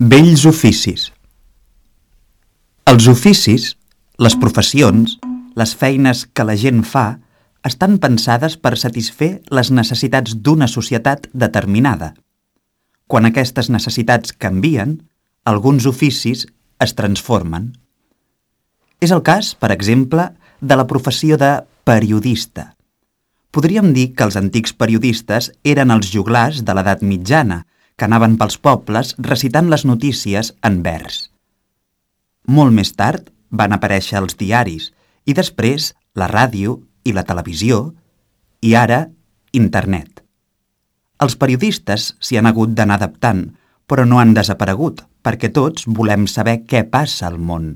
Bells oficis. Els oficis, les professions, les feines que la gent fa, estan pensades per satisfer les necessitats d'una societat determinada. Quan aquestes necessitats canvien, alguns oficis es transformen. És el cas, per exemple, de la professió de periodista. Podríem dir que els antics periodistes eren els joglars de l'edat mitjana, que anaven pels pobles recitant les notícies en vers. Molt més tard van aparèixer els diaris i després la ràdio i la televisió i ara internet. Els periodistes s'hi han hagut d'anar adaptant, però no han desaparegut perquè tots volem saber què passa al món.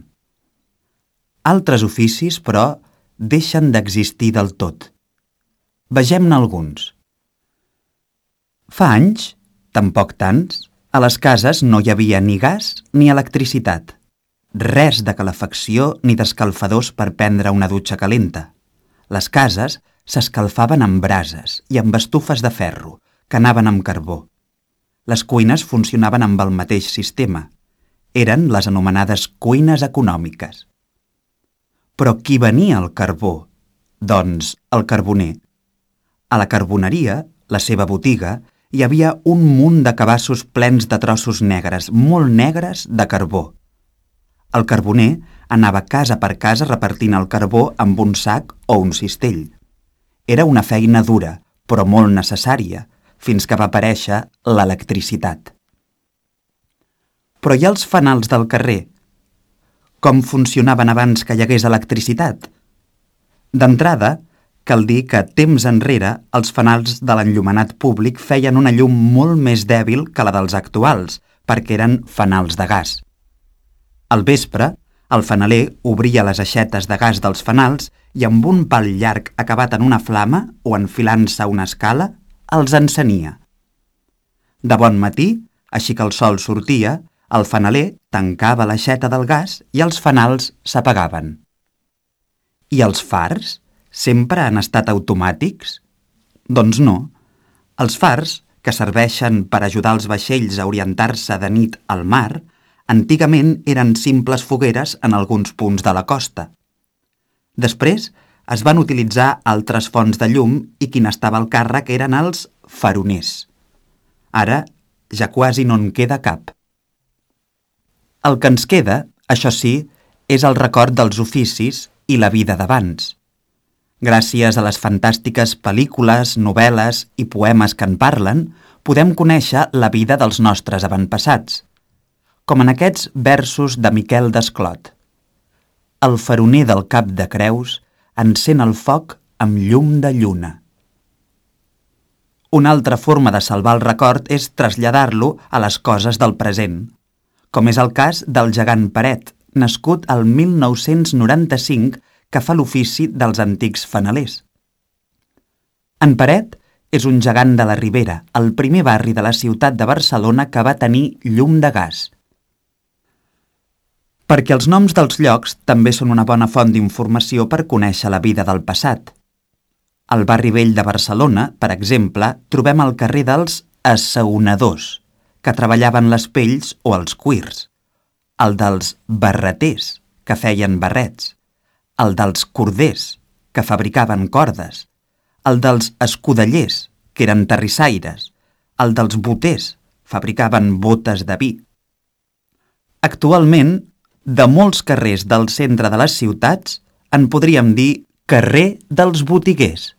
Altres oficis, però, deixen d'existir del tot. Vegem-ne alguns. Fa anys, tampoc tants, a les cases no hi havia ni gas ni electricitat. Res de calefacció ni d'escalfadors per prendre una dutxa calenta. Les cases s'escalfaven amb brases i amb estufes de ferro, que anaven amb carbó. Les cuines funcionaven amb el mateix sistema. Eren les anomenades cuines econòmiques. Però qui venia el carbó? Doncs el carboner. A la carboneria, la seva botiga, hi havia un munt de cabassos plens de trossos negres, molt negres, de carbó. El carboner anava casa per casa repartint el carbó amb un sac o un cistell. Era una feina dura, però molt necessària, fins que va aparèixer l'electricitat. Però hi ha els fanals del carrer. Com funcionaven abans que hi hagués electricitat? D'entrada, cal dir que temps enrere els fanals de l'enllumenat públic feien una llum molt més dèbil que la dels actuals, perquè eren fanals de gas. Al vespre, el fanaler obria les aixetes de gas dels fanals i amb un pal llarg acabat en una flama o enfilant-se una escala, els encenia. De bon matí, així que el sol sortia, el fanaler tancava l'aixeta del gas i els fanals s'apagaven. I els fars? Sempre han estat automàtics? Doncs no. Els fars, que serveixen per ajudar els vaixells a orientar-se de nit al mar, antigament eren simples fogueres en alguns punts de la costa. Després es van utilitzar altres fonts de llum i qui n'estava al càrrec eren els faroners. Ara ja quasi no en queda cap. El que ens queda, això sí, és el record dels oficis i la vida d'abans. Gràcies a les fantàstiques pel·lícules, novel·les i poemes que en parlen, podem conèixer la vida dels nostres avantpassats, com en aquests versos de Miquel Desclot. El faroner del Cap de Creus encén el foc amb llum de lluna. Una altra forma de salvar el record és traslladar-lo a les coses del present, com és el cas del gegant Peret, nascut al 1995, que fa l'ofici dels antics fanalers. En Peret és un gegant de la Ribera, el primer barri de la ciutat de Barcelona que va tenir llum de gas. Perquè els noms dels llocs també són una bona font d'informació per conèixer la vida del passat. Al barri vell de Barcelona, per exemple, trobem el carrer dels assaonadors, que treballaven les pells o els cuirs, el dels barreters, que feien barrets, el dels corders, que fabricaven cordes, el dels escudellers, que eren terrissaires, el dels boters, fabricaven botes de vi. Actualment, de molts carrers del centre de les ciutats, en podríem dir carrer dels botiguers.